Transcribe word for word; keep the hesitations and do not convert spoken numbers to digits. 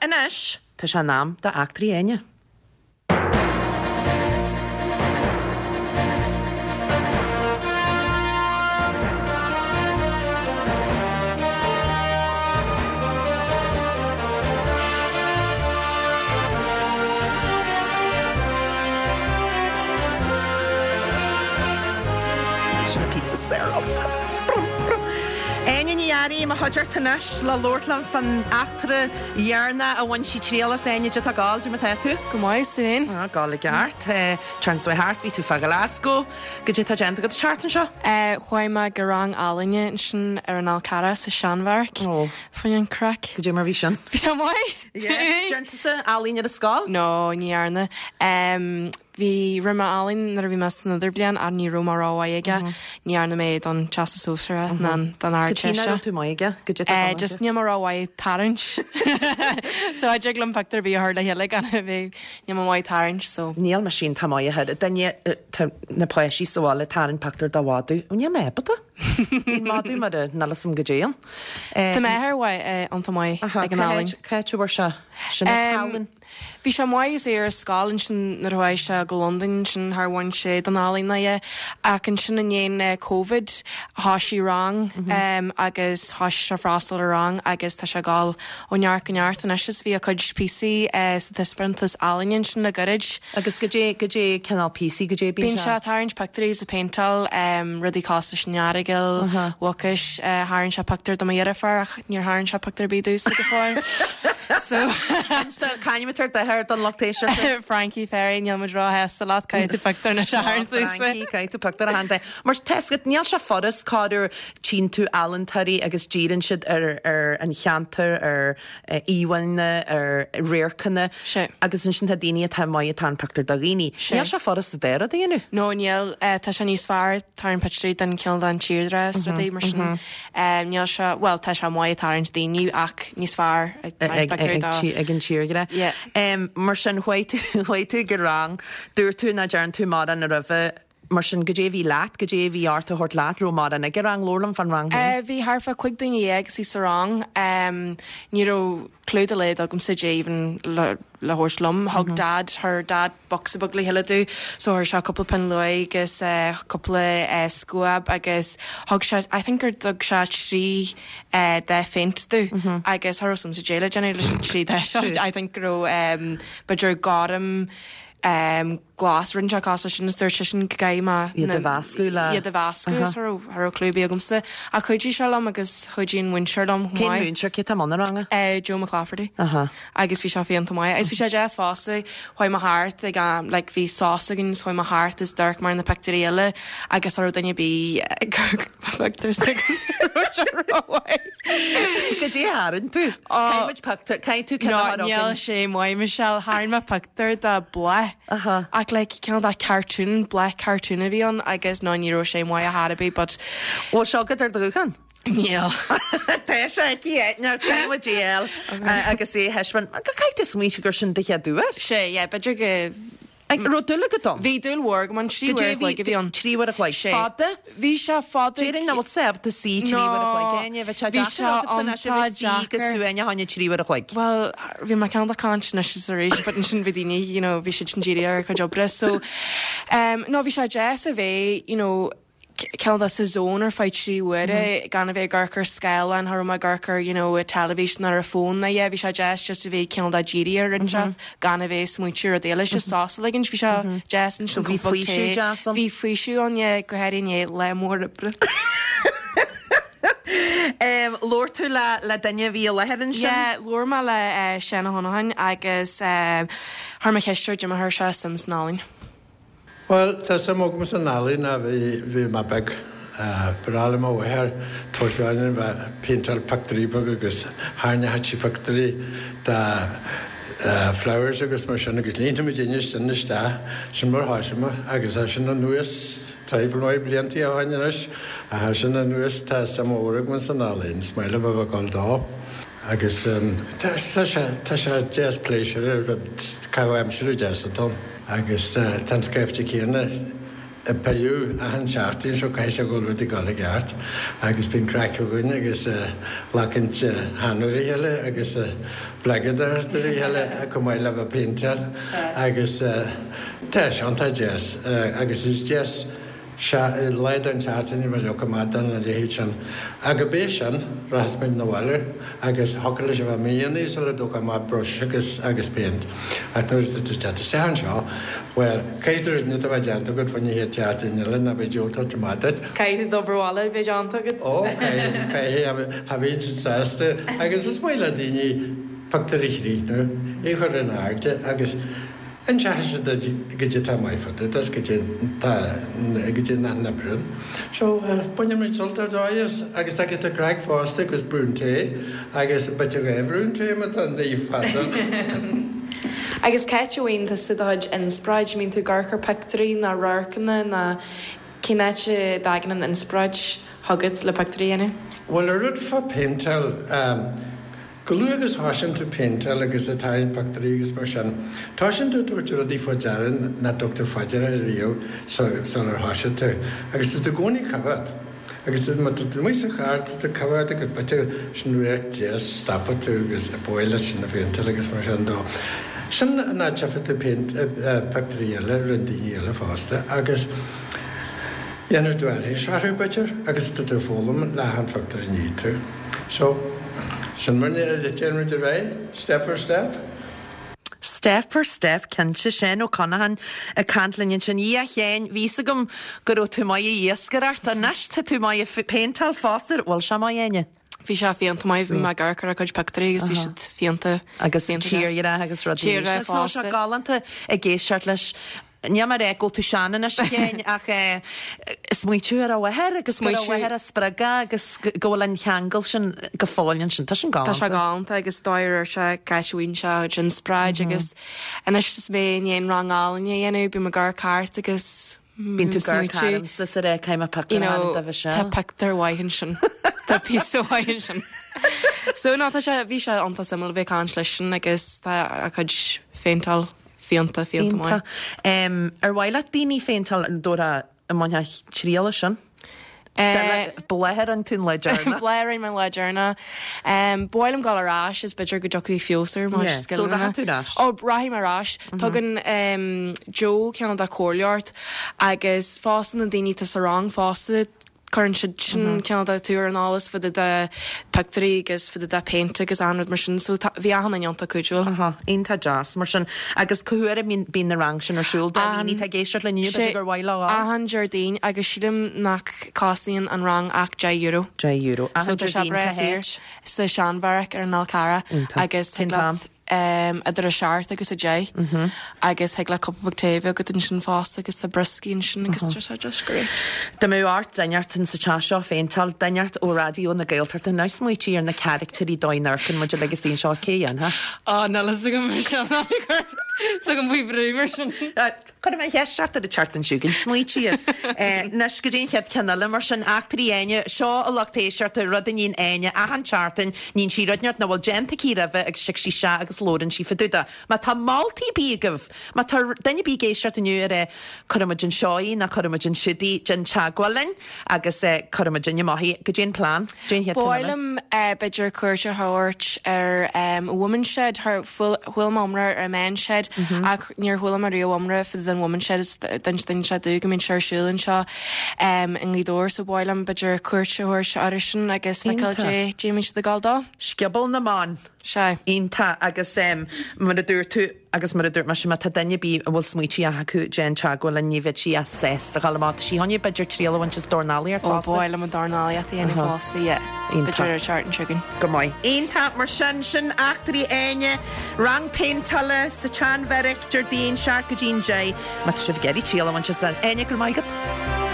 anois, tá sé in am do Eachtraí Áine. Sin an píosa saor agamsa. Brum, brum. Áine Ní Fhearraigh i mo chuideachta anois le labhairt liom fán eachtra dheireanach a bhain sí triail as. Áine, goidé tá ag gabháil, goidé mar tá tú? Go maith, is tú féin? Ah, gabháil i gceart. Turn so thart, bhí tú fá Glasgow. Goidé tá déanta agat an tseachtain seo? Chuaigh mé go rang ealaíne ansin ar an Fhál Carrach sa Seanbheairic. Ó. Fá choinne an craic. Goidé mar bhí sin? Bhí sé maith. Déarn tusa ealaín ar an scoil? No, ní dhearna. Um, bhí rinne mé ealaín nuair a bhí mé san idirbhliain ach ní raibh mé rómhaith aige. Ní dhearna mé don Teastas Sóisearach ná don Cad Ardteist. raibh tú maith aige? Goidé Uh, just níl mé rómhaith tarraingt. So a liom pictiúr bhí a chur le chéile gan a bheith níl mé maith tarraingt, so. Níl mé sin tá maith a duine na páistí sa bhaile tarraing pictiúr dá mhadadh. Níl mé ábalta. Bíonn madadh mar a níl go déan. Tá m'athair iontach maith ag an ealaín. Cá bhfuair sé sin Um, Bhí sé maith is é ar scoil ansin nuair a chuaigh sé go Londain sin thar bhain sé don ealaín é ach ansin i ndiaidh Covid thosaigh rang um, agus thosaigh sé freastal ar rang agus tá sé ag dul ó neart go neart anois is bhí a cuid píosaí uh, sa taispeántas ealaíne sin le gairid. Agus goidé goidé cineál píosaí goidé Bíonn sé tarraingt pictiúirí is ag péinteáil um, rudaí cosúil leis an Earagail, Mhucais, uh, tharraing sé pictiúr do mo dheirfiúr ach níor tharraing sé pictiúr ar bith domhsa go fóill. So Caiimitar d'athair don lucht éisteachta. Frankie Ferry níl muid róshásta leat caithfidh tú pictiúr na seair Frankie, caithfidh tú pictiúr a tharraingt. Mar tesgat níl sé furast cáú tchíonn tú ealaíontóirí agus díríonn siad ar ar an cheantar ar íomhánna ar radharcanna Sé. agus ansin tá daoine atá maith atá an pictiúr do dhaoine. Sé. Níl sé furast a déara déanú. No níl uh, tá sé níos fearr tarraingt pictiúirí den cineál den tírdhreach rudaí mar sin. Um, níl sé well tá sé maith tarraingt daoine ach níos fearr ag tarraingt pictiúirí dá- ag an tírdhreach. Yeah. Um, mar sin chuaigh tú go rang, dúirt tú nach ndearna tú mórán a roimhe mar sin goidé bhí leat, goidé bhí ort a thabhairt leat, raibh mórán ag rang labhair liom fán rang. Uh, bhí thart fá cúig duine dhéag sa rang um, ní raibh clue dá laghad agamsa even le, le thabhairt liom. Thug mm -hmm. dad her dad bocsa beag le chéile domh, so chuir sé cúpla pinn luaidhe agus uh, cúpla uh, scuab agus thug sé I think gur thug sé trí uh, dath phéint domh mm -hmm. agus cha raibh sa déile déanamh leis an trí dath seo. I think go raibh um, b'fhéidir gorm um, glas rinne sé cos sin is dúirt sé sin go gcaithfidh mé Iad a mheascadh le- iad a mheascadh is cha raibh clue ar bith agamsa a chuidigh sé liom agus chuidigh an múinteoir liom Cén múinteoir cé tá an ranga? Uh, Joe McClafferty Aha. agus bhí sé iontach maith agus bhí sé deas fosta chuaigh mé thart ag um, like, bhí sos againn chuaigh mé thart is d'amharc mé ar na pictiúirí eile agus cha raibh duine ar bith pictiúr Goidé a tharraing tú? Caithfidh pictiúr caithfidh tú No, níl sé maith Michelle tharraing mé pictiúr de bláth Aha. ach like cineál de cartoon black cartoon a bhí ann agus ná ní raibh sé maith ar bith but Bhfuil seo agat ar do ghuthán? níl. Tá sé aici DL agus é heisman go caithfidh tú smaointe gur sin do chéad uair. Sé yeah, b'fhéidir go Ag raibh dúil agat ann? Bhí dúil mhór agam ann trí uair a chloig a bhí ann. Trí uair a chloig. Sé. Fada? Bhí sé fada. Déarfainn nach bhfuil sé ábalta suí trí uair a chloig Áine, bheadh sé Bhí deacair sé agat san iontach bheith suí go deacair. suaine tháine trí uair a chloig. Well, bhí mé ceann caint anois is arís, but ansin bhí daoine, you know, bhí siad sin dírithe ar a cuid oibre. So, um, no, bhí sé deas a bheith, you know, ceann de sa zone ar feadh trí huaire gan a bheith ag amharc ar scáileán cha raibh mé ag amharc ar you know, teilifís ná ar a fón na bhí sé deas just a bheith ceann de dírithe ar an teacht gan a bheith smaointiú ar éile se sása le bhí sé deas an So bhí faoiseamh deas ann? Bhí faoiseamh ann go háirithe le mór oibre. Um, Labhair tú le le duine bhí i láthair ansin? Yeah, labhair mé le uh, Seán Ó hAnacháin agus uh, chuir mé ceist air goidé mar chuir sé suim san ealaín. Well, tá suim agam san ealaín a bhí bhí mé beag ba le mo mháthair tuairteáin bheith péinteáil pictiúirí beag agus tharraing sí pictiúirí de flowers agus mar sin agus líonta mu duine sin isteach sin mar thosaigh mé agus é sin anuas traidhfil maith blianta ó shin anois a sin anuas tá suim mhór agam san ealaín, is maith liom a bheith ag dul dó. Agus tá tá sé deas pléisiúr rud caitheamh aimsire deas atá. Agus tá an scaifte céanna ag pilleadh achan seachtain so caithfidh sé go bhfuil rudaí ag dul i gceart agus bíonn craic againn agus glacann taitneamh ar a chéile agus bleagadóireacht ar a chéile chomh maith le bheith ag péinteáil agus tá sé iontach deas agus is deas lá den tseachtain a bheith leoga maith don a leithéid sin. Ach go bé sin, rachas muid 'na bhaile agus thiocfadh leis a bheith míonna sula dtógfá amach brush agus agus péint. Ach nuair atá tú ag teacht isteach anseo, bhuel, caithfidh tú rud inteacht a bheith déanta agat faoin chéad tseachtain eile nó beidh diabhal tabhairt amach duit. Caithfidh tú d'obair bhaile a bheith déanta agat. Ó, caithfidh, caithfidh, cha bhíonn siad sásta. Agus is maith le daoine pictiúr a chríochnú, é a chur in airde agus Inseoidh siad duit goidé tá maith fá dtaobh de is goidé tá goidé nach n-oibríonn. So baineann muid sult ar dóigh as agus tá giota craic fosta agus braon tae agus b'fhéidir dhá bhraon tae má tá an oíche fada. Agus cá háit a bhfaigheann tusa do chuid inspioráid? Mbíonn tú ag amharc ar pictiúirí nó radharcanna nó cén áit a dtagann an inspioráid chugat le pictiúirí a dhéanamh? Bhuel, an rud fá péinteáil, Chomh luath agus a thosaíonn tú péinteáil agus ag tarraingt pictiúirí agus mar sin, tosaíonn tú ag tabhairt rudaí fá deara nach dtug tú fá deara riamh sular thosaigh tú. Agus tá tú i gcónaí ag coimhéad. Agus má tá tú amuigh sa charr, tá tú ag coimhéad agus b'fhéidir sin radharc deas, stopann tú agus ba mhaith leat sin a phéinteáil agus mar sin dó. Sin an áit a bhfaighidh tú pictiúirí eile, rinne daoine eile fosta agus dhéanfaidh tú aithris orthu b'fhéidir agus tá tú ag foghlaim le hachan phictiúr a ní tú. So. Sin mar a téann muid ar aghaidh, step for step. Step for step, cinnte. Seán Ó Conacháin ag caint linn ansin. A Sheáin, bhí fhios agam go raibh tú maith ag iascaireacht. Anois tá tú maith ag péinteáil fosta. Bhfuil sé maith, Áine? Bhí sé fiúntach maith, bhí mé ag amharc ar a cuid pictiúirí agus bhí siad fiúntach. Agus tírdhreach agus rudaí. Tírdhreach fosta. Tá sé galánta ag éisteacht leis. Níl mé ag rá go bhfuil tú sean anois a Sheáin ach smaointiú ar a mháthair agus go raibh a mháthair á spreagadh agus go bhfuil an cheangal sin go fóill ansin. Tá sin Tá sé galánta. galánta agus dóigh ar sé cá háit a bhfaigheann sé a chuid inspioráid agus anois is mé i ndiaidh an rang ealaíne a dhéanamh, bím ag amharc thart agus Bíonn tú ag amharc smaointiú tharamsa is ag rá caithfidh mé you pictiúr a know, tharraingt dóibh tá seo. pictiúr mhaith ansin. Tá píosa mhaith ansin. So no, tá sé, bhí sé iontach suimiúil a bheith ag caint leisean agus tá a chuid phéinteáil fiúntach, fiúntach maith. Iontach. Ar mhaith leat daoine a phéinteáil an dtabharfá an mbainfeá triail as sin? Bláth a rinne tú an lá deireanach. Bláth a rinne mé an lá deireanach. Ba mhaith liom dul ar ais is b'fhéidir go dtiocfaidh feabhas ar mo Yeah. So scileanna. rachaidh tú ar ais? Ó, rachaidh mé ar ais. Tugann Joe cineál de comhairle ort agus fosta na daoine atá sa rang fosta cuireann siad sin cineál de tú ar an eolas fá dtaobh de pictiúirí agus fá dtaobh de péint agus an rud mar sin so tá, bhí achan duine iontach cuidiúil. Aha, iontach deas mar sin. Agus cá huair a mbíonn, bíonn na rang sin ar siúl do An, dhaoine atá ag éisteacht linn inniu, sé, b'fhéidir gur mhaith leo a. achan Déardaoin agus sílim nach cosnaíonn an rang ach deich euro. Deich euro. So Achan tá sé Déardaoin breá cá saor háit? sa Seanbheairic ar an Fhál Carrach Iontach. agus Cén thig t-am? leat idir a seacht agus a deich agus thig leat cupán beag tae a bheith agat ansin fosta agus tá brioscaí ansin agus tá sé just great. Dá mbeadh ort duine inteacht in sa teach seo a phéinteáil, duine inteacht ó Raidió na Gaeltachta, now smaoitigh ar na caractéirí dóigh a n-amharcann muid uilig istigh anseo, cé a dhéanfadh? Á, níl fhios agam mar sin, ná cuir fhios agam faoi bhrú mar sin. Cuirfidh mé an cheist ort ar an tseachtain seo chugainn, smaoitigh air. Anois go dtí an chéad cheann eile, mar sin, Eachtraí Áine, seo a lucht éisteachta, rud a níonn Áine achan tseachtain, níonn sí rud inteacht nach bhfuil déanta aici roimhe agus tig sí isteach agus labhrann sí fá dtaobh de. Má tá moltaí ar bith agaibh, má tá duine ar bith ag éisteacht inniu ag rá cuirfidh muid anseo í ná cuirfidh muid ansiúd í, déan teagmháil linn agus cuirfidh muid amach í. Goidé an plean? Goidé an chéad Ba cheann mhaith eile? liom b'fhéidir cuairt a thabhairt ar Women's Shed, chuala mé iomrá ar an Men's Shed ach níor chuala mé riamh iomrá fá dtaobh den Women's Shed is d'inis duine sé domh go mbíonn sé ar siúl anseo i nGaoth Dobhair so ba mhaith liom b'fhéidir cuairt a thabhairt orthu sin agus feiceáil Iontach. dé dé mbíonn siad ag gabháil dó. Scioból na mBan. Sea. Iontach agus mar a dúirt tú agus mar a dúirt mise má tá duine ar bith a bhfuil smaoití acu déan teagmháil linn ní bheidh sí as sásta a ghabháil amach. Tá sí chun b'fhéidir triail a bhaint as dornálaíocht Ó fosta. ba mhaith liom an dornálaíocht a dhéanamh fosta, yeah. Iontach. B'fhéidir ar an tseachtain seo chugainn. Go maith. Iontach mar sin, sin Eachtraí Áine, rang péinteála sa tSeanbheairic, Déardaoin, seacht go dtí'n deich. Má tá sibh ag iarraidh triail a bhaint as Áine, go raibh maith agat.